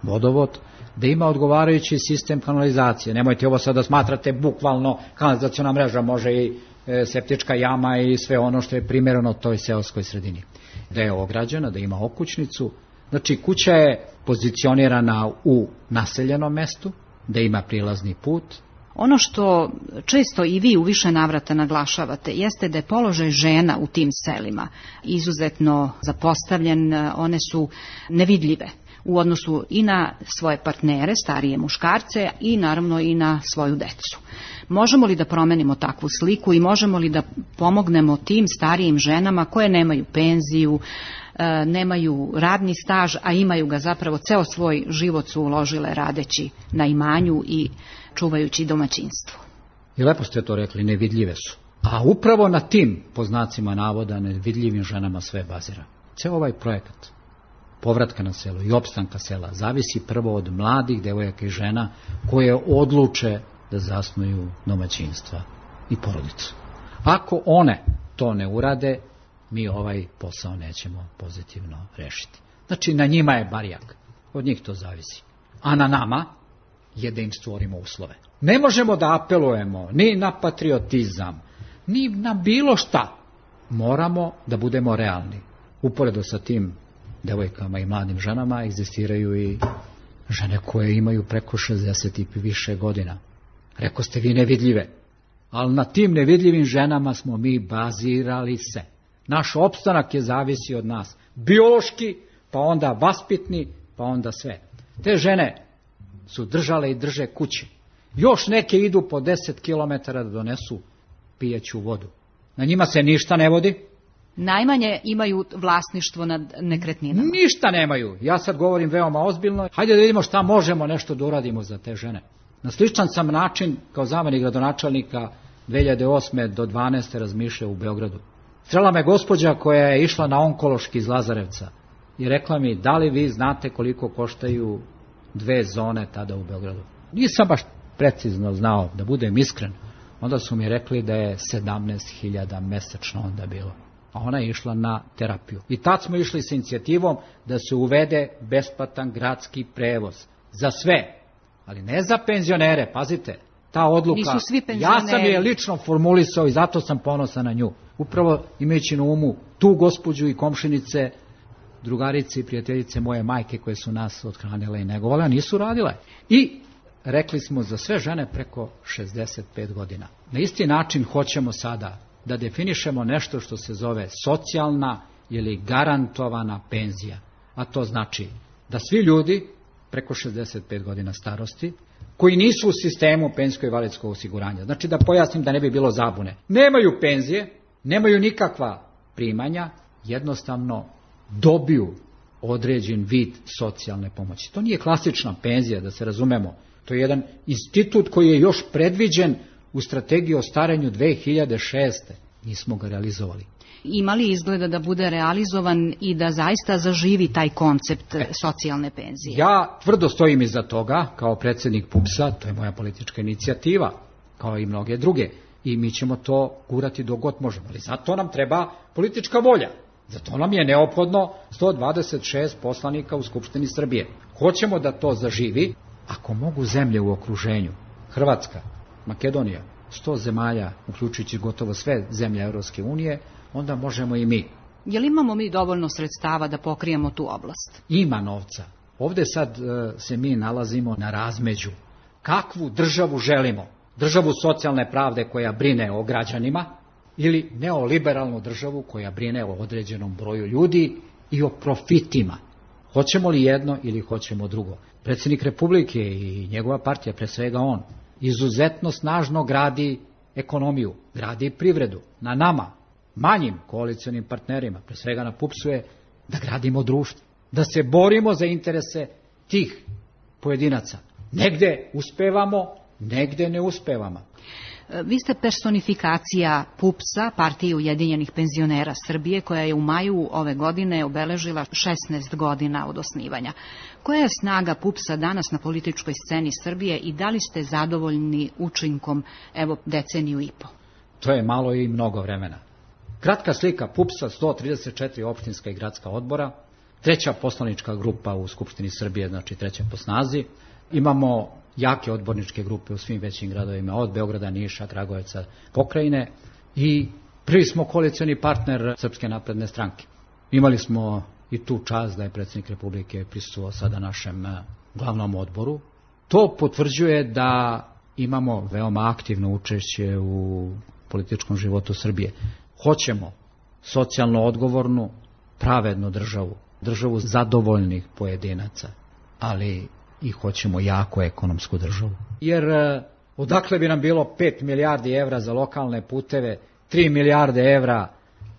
vodovod, da ima odgovarajući sistem kanalizacije. Nemojte ovo sad da smatrate bukvalno kanalizaciona mreža, može i e, septička jama i sve ono što je primjereno toj seoskoj sredini. Da je ograđena, da ima okućnicu. Znači, kuća je pozicionirana u naseljenom mestu, da ima prilazni put. Ono što često i vi u više navrata naglašavate jeste da je položaj žena u tim selima izuzetno zapostavljen, one su nevidljive u odnosu i na svoje partnere, starije muškarce, i naravno i na svoju decu. Možemo li da promenimo takvu sliku i možemo li da pomognemo tim starijim ženama koje nemaju penziju, nemaju radni staž, a imaju ga zapravo, ceo svoj život su uložile radeći na imanju i čuvajući domaćinstvo? I lepo ste to rekli, nevidljive su. A upravo na tim, po znacima navoda, nevidljivim ženama sve bazira. Ceo ovaj projekat povratka na selo i opstanka sela zavisi prvo od mladih devojaka i žena koje odluče da zasnuju domaćinstva i porodicu. Ako one to ne urade, mi ovaj posao nećemo pozitivno rešiti. Znači, na njima je barjak. Od njih to zavisi. A na nama je da im stvorimo uslove. Ne možemo da apelujemo ni na patriotizam, ni na bilo šta. Moramo da budemo realni. Uporedo sa tim devojkama i mladim ženama egzistiraju i žene koje imaju preko šezdeset i više godina. Reko ste vi nevidljive. Ali na tim nevidljivim ženama smo mi bazirali se. Naš opstanak je zavisi od nas. Biološki, pa onda vaspitni, pa onda sve. Te žene su držale i drže kuće. Još neke idu po deset kilometara da donesu pijeću vodu. Na njima se ništa ne vodi. Najmanje imaju vlasništvo nad nekretninama. Ništa nemaju. Ja sad govorim veoma ozbiljno. Hajde da vidimo šta možemo nešto da uradimo za te žene. Na sličan sam način, kao zamenik gradonačelnika dve hiljade osme do dvanaeste razmišljao u Beogradu. Srela me gospođa koja je išla na onkološki iz Lazarevca i rekla mi, da li vi znate koliko koštaju dve zone tada u Beogradu? Nisam baš precizno znao, da budem iskren. Onda su mi rekli da je sedamnaest hiljada mesečno onda bilo. A ona je išla na terapiju. I tad smo išli sa inicijativom da se uvede besplatan gradski prevoz. Za sve. Ali ne za penzionere, pazite. Ta odluka, nisu svi penzioneri. Ja sam je lično formulisao i zato sam ponosan na nju. Upravo imajući na umu tu gospođu i komšinice, drugarice i prijateljice moje majke koje su nas othranile i negovale, a nisu radile. I rekli smo za sve žene preko šezdeset pet godina. Na isti način hoćemo sada da definišemo nešto što se zove socijalna ili garantovana penzija. A to znači da svi ljudi preko šezdeset pet godina starosti, koji nisu u sistemu penzijsko-invalidskog osiguranja, znači da pojasnim da ne bi bilo zabune, nemaju penzije, nemaju nikakva primanja, jednostavno dobiju određen vid socijalne pomoći. To nije klasična penzija, da se razumemo. To je jedan institut koji je još predviđen u strategiji o starenju dve hiljade šeste. Nismo ga realizovali. Ima li izgleda da bude realizovan i da zaista zaživi taj koncept e, socijalne penzije? Ja tvrdo stojim iza toga, kao predsjednik P U P S-a, to je moja politička inicijativa, kao i mnoge druge. I mi ćemo to gurati dok god možemo. Ali zato nam treba politička volja. Zato nam je neophodno sto dvadeset šest poslanika u Skupštini Srbije. Hoćemo da to zaživi. Ako mogu zemlje u okruženju, Hrvatska, Makedonija, sto zemalja, uključujući gotovo sve zemlje Europske unije, onda možemo i mi. Je li imamo mi dovoljno sredstava da pokrijemo tu oblast? Ima novca. Ovdje sad e, se mi nalazimo na razmeđu. Kakvu državu želimo? Državu socijalne pravde koja brine o građanima ili neoliberalnu državu koja brine o određenom broju ljudi i o profitima? Hoćemo li jedno ili hoćemo drugo? Predsjednik Republike i njegova partija, pre svega on, izuzetno snažno gradi ekonomiju, gradi privredu. Na nama, manjim koalicionim partnerima, pre svega na PUPS-u je da gradimo društvo, da se borimo za interese tih pojedinaca. Negde uspevamo, negde ne uspevamo. Vi ste personifikacija PUPS-a, Partije Ujedinjenih penzionera Srbije, koja je u maju ove godine obeležila šesnaest godina od osnivanja. Koja je snaga PUPS-a danas na političkoj sceni Srbije i da li ste zadovoljni učinkom, evo, deceniju i po? To je malo i mnogo vremena. Kratka slika PUPS-a, sto trideset četiri opštinska i gradska odbora, treća poslanička grupa u Skupštini Srbije, znači treća po snazi. Imamo jake odborničke grupe u svim većim gradovima, od Beograda, Niša, Kragujevca, Pokrajine i prvi smo koalicioni partner Srpske napredne stranke. Imali smo i tu čast da je predsjednik Republike prisustvovao sada našem glavnom odboru. To potvrđuje da imamo veoma aktivno učešće u političkom životu Srbije. Hoćemo socijalno odgovornu, pravednu državu, državu zadovoljnih pojedinaca, ali i hoćemo jako ekonomsku državu. Jer odakle bi nam bilo pet milijardi evra za lokalne puteve, tri milijarde evra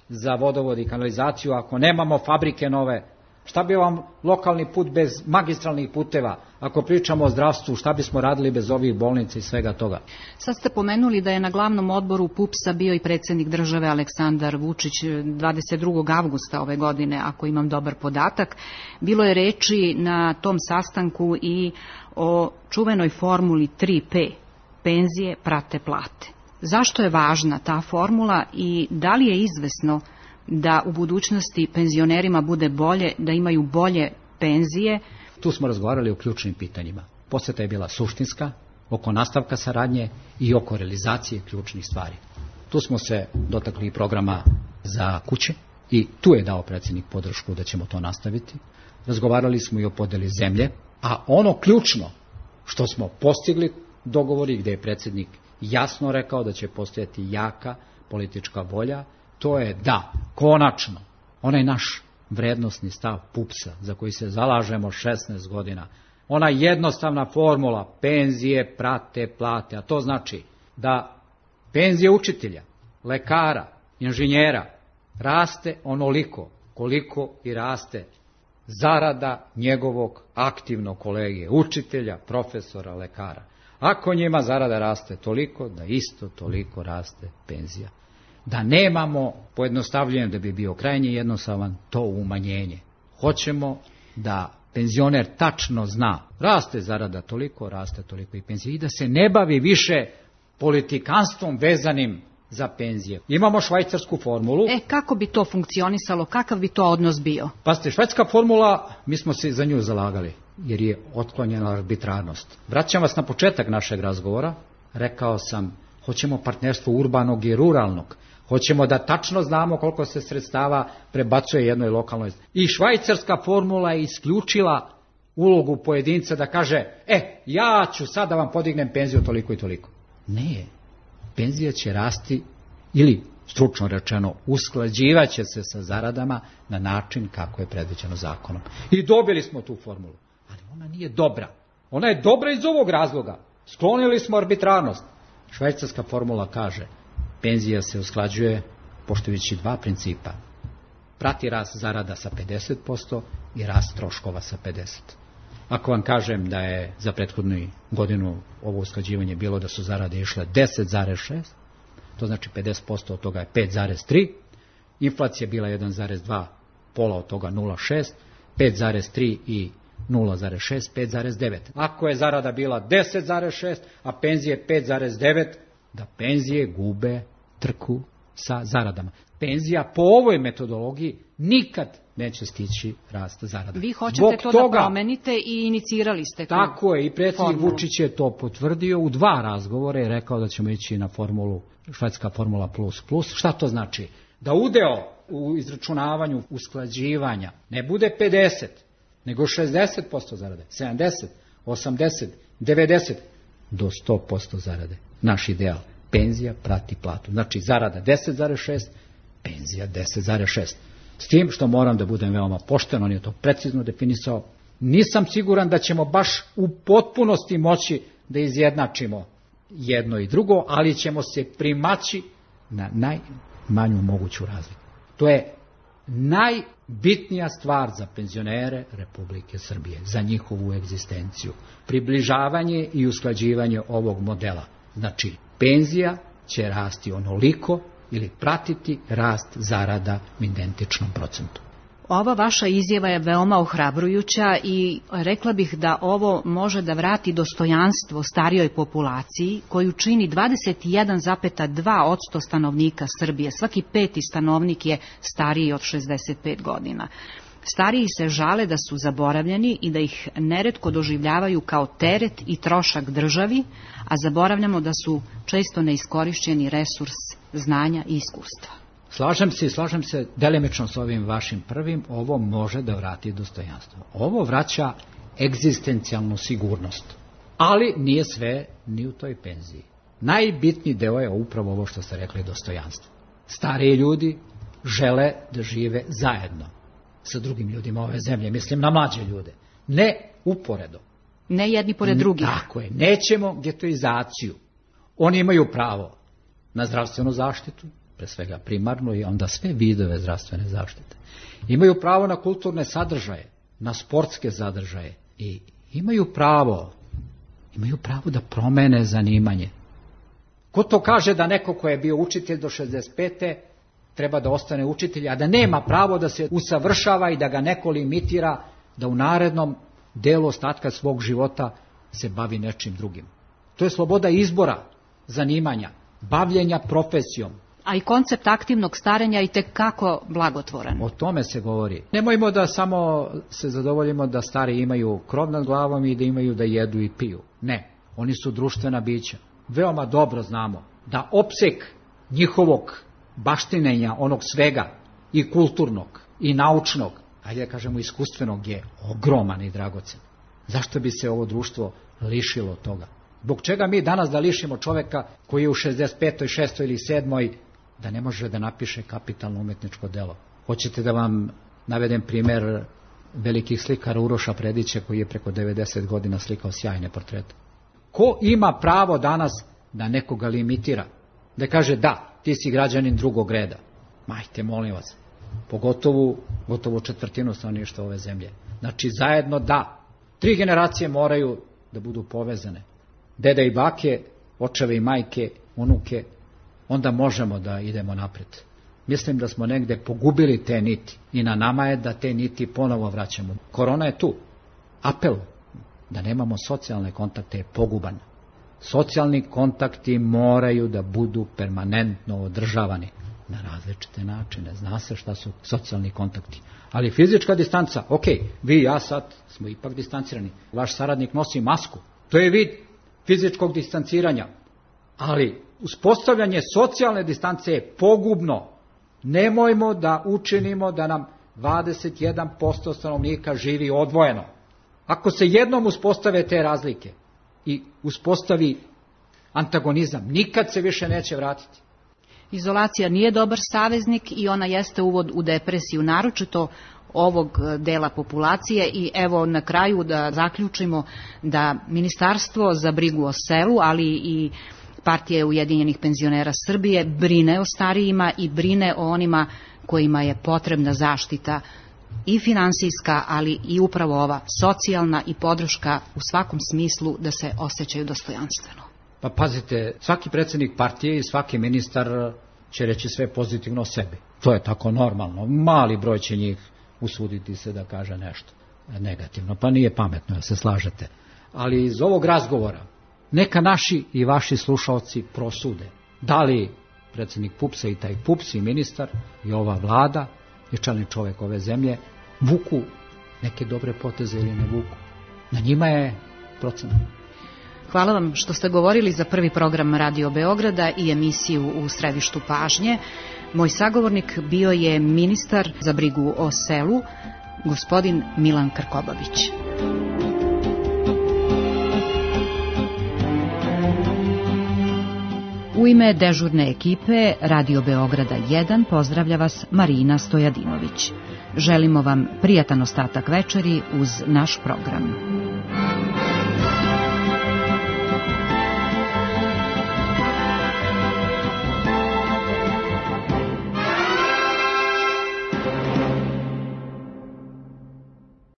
za vodovod i kanalizaciju ako nemamo fabrike nove? Šta bi vam lokalni put bez magistralnih puteva? Ako pričamo o zdravstvu, šta bismo radili bez ovih bolnica i svega toga? Sad ste pomenuli da je na glavnom odboru PUPS-a bio i predsjednik države Aleksandar Vučić dvadeset drugog avgusta ove godine, ako imam dobar podatak. Bilo je reči na tom sastanku i o čuvenoj formuli tri P, penzije prate plate. Zašto je važna ta formula i da li je izvesno da u budućnosti penzionerima bude bolje, da imaju bolje penzije? Tu smo razgovarali o ključnim pitanjima. Poseta je bila suštinska, oko nastavka saradnje i oko realizacije ključnih stvari. Tu smo se dotakli programa za kuće i tu je dao predsjednik podršku da ćemo to nastaviti. Razgovarali smo i o podeli zemlje, a ono ključno što smo postigli dogovori gde je predsjednik jasno rekao da će postojati jaka politička volja, to je da, konačno, onaj naš vrednosni stav PUPS-a, za koji se zalažemo šesnaest godina, ona jednostavna formula, penzije prate plate, a to znači da penzije učitelja, lekara, inženjera raste onoliko koliko i raste zarada njegovog aktivnog kolege, učitelja, profesora, lekara. Ako njima zarada raste toliko, da isto toliko raste penzija. Da nemamo pojednostavljenje, da bi bio krajnje jednostavan, to umanjenje. Hoćemo da penzioner tačno zna, raste zarada toliko, raste toliko i penzija, i da se ne bavi više politikanstvom vezanim za penzije. Imamo švajcarsku formulu. E, kako bi to funkcionisalo, kakav bi to odnos bio? Pazite, švajcarska formula, mi smo se za nju zalagali, jer je otklonjena arbitrarnost. Vraćam vas na početak našeg razgovora, rekao sam, hoćemo partnerstvo urbanog i ruralnog, hoćemo da tačno znamo koliko se sredstava prebacuje jednoj lokalnoj. I švajcarska formula je isključila ulogu pojedinca da kaže, e, ja ću sad da vam podignem penziju toliko i toliko. Ne, penzija će rasti ili, stručno rečeno, usklađivaće se sa zaradama na način kako je predviđeno zakonom. I dobili smo tu formulu, ali ona nije dobra. Ona je dobra iz ovog razloga. Sklonili smo arbitrarnost. Švajcarska formula kaže, penzija se usklađuje poštujući dva principa. Prati rast zarada sa pedeset posto i rast troškova sa pedeset posto. Ako vam kažem da je za prethodnu godinu ovo usklađivanje bilo da su zarade išle deset zarez šest, to znači pedeset posto od toga je pet zarez tri, inflacija bila jedan zarez dva, pola od toga nula zarez šest, pet zarez tri i nula zarez šest, pet zarez devet. Ako je zarada bila deset zarez šest, a penzije pet zarez devet, da penzije gube trku sa zaradama. Penzija po ovoj metodologiji nikad neće stići rast zarada. Vi hoćete Zbog to toga, da promenite i inicirali ste to. Tako je, i predsjednik Vučić je to potvrdio u dva razgovora i rekao da ćemo ići na formulu, švedska formula plus plus. Šta to znači? Da udeo u izračunavanju usklađivanja ne bude pedeset, nego šezdeset posto zarade, sedamdeset, osamdeset, devedeset, do sto posto zarade. Naš ideal. Penzija prati platu. Znači zarada deset zarez šest, penzija deset zarez šest. S tim što moram da budem veoma pošten, on je to precizno definisao. Nisam siguran da ćemo baš u potpunosti moći da izjednačimo jedno i drugo, ali ćemo se primaći na najmanju moguću razliku. To je najbitnija stvar za penzionere Republike Srbije, za njihovu egzistenciju. Približavanje i usklađivanje ovog modela. Znači, penzija će rasti onoliko ili pratiti rast zarada u identičnom procentu. Ova vaša izjava je veoma ohrabrujuća i rekla bih da ovo može da vrati dostojanstvo starijoj populaciji koju čini dvadeset jedan zarez dva posto stanovnika Srbije. Svaki peti stanovnik je stariji od šezdeset pet godina. Stariji se žale da su zaboravljeni i da ih neretko doživljavaju kao teret i trošak državi, a zaboravljamo da su često neiskorišćeni resurs znanja i iskustva. Slažem se i slažem se delimično s ovim vašim prvim, ovo može da vrati dostojanstvo. Ovo vraća egzistencijalnu sigurnost, ali nije sve ni u toj penziji. Najbitniji deo je upravo ovo što ste rekli, dostojanstvo. Stariji ljudi žele da žive zajedno sa drugim ljudima ove zemlje, mislim na mlađe ljude, ne uporedo. Ne jedni pored drugih. Tako je, nećemo getoizaciju. Oni imaju pravo na zdravstvenu zaštitu, pre svega primarnu i onda sve vidove zdravstvene zaštite. Imaju pravo na kulturne sadržaje, na sportske sadržaje i imaju pravo, imaju pravo da promene zanimanje. Ko to kaže da neko ko je bio učitelj do šezdeset pete treba da ostane učitelj, a da nema pravo da se usavršava i da ga neko limitira da u narednom delu ostatka svog života se bavi nečim drugim. To je sloboda izbora zanimanja, bavljenja profesijom. A i koncept aktivnog starenja i tekako blagotvoran. O tome se govori. Nemojmo da samo se zadovoljimo da stari imaju krov nad glavom i da imaju da jedu i piju. Ne, oni su društvena bića. Veoma dobro znamo da opseg njihovog baštinenja, onog svega, i kulturnog, i naučnog, ajde da kažemo iskustvenog, je ogroman i dragocen. Zašto bi se ovo društvo lišilo toga? Zbog čega mi danas da lišimo čoveka koji je u šezdeset petoj, šestoj ili sedmoj da ne može da napiše kapitalno umetničko delo? Hoćete da vam navedem primer velikih slikara Uroša Predića koji je preko devedeset godina slikao sjajne portrete. Ko ima pravo danas da nekoga limitira? Da kaže da, ti si građanin drugog reda. Majte, molim vas, pogotovo gotovo četvrtinu stanovništva ove zemlje. Znači zajedno da, tri generacije moraju da budu povezane. Deda i bake, očeve i majke, unuke, onda možemo da idemo napred. Mislim da smo negde pogubili te niti i na nama je da te niti ponovo vraćamo. Korona je tu. Apel da nemamo socijalne kontakte je poguban. Socijalni kontakti moraju da budu permanentno održavani na različite načine. Zna se šta su socijalni kontakti. Ali fizička distanca, ok, vi i ja sad smo ipak distancirani. Vaš saradnik nosi masku. To je vid fizičkog distanciranja. Ali uspostavljanje socijalne distance je pogubno. Nemojmo da učinimo da nam dvadeset jedan posto stanovnika živi odvojeno. Ako se jednom uspostave te razlike i uspostavi antagonizam, nikad se više neće vratiti. Izolacija nije dobar saveznik i ona jeste uvod u depresiju, naročito ovog dela populacije. I evo na kraju da zaključimo da Ministarstvo za brigu o selu, ali i Partija Ujedinjenih penzionera Srbije brine o starijima i brine o onima kojima je potrebna zaštita i finansijska, ali i upravo ova socijalna i podrška u svakom smislu da se osjećaju dostojanstveno. Pa pazite, svaki predsjednik partije i svaki ministar će reći sve pozitivno o sebi. To je tako normalno. Mali broj će njih usuditi se da kaže nešto negativno. Pa nije pametno, ja se slažete. Ali iz ovog razgovora neka naši i vaši slušalci prosude. Da li predsjednik PUPS-a i taj PUPS i ministar i ova vlada i čelni čovjek ove zemlje vuku neke dobre poteze ili ne vuku. Na njima je procenat. Hvala vam što ste govorili za prvi program Radio Beograda i emisiju U središtu pažnje. Moj sagovornik bio je ministar za brigu o selu, gospodin Milan Krkobabić. U ime dežurne ekipe Radio Beograda jedan pozdravlja vas Marina Stojadinović. Želimo vam prijatan ostatak večeri uz naš program.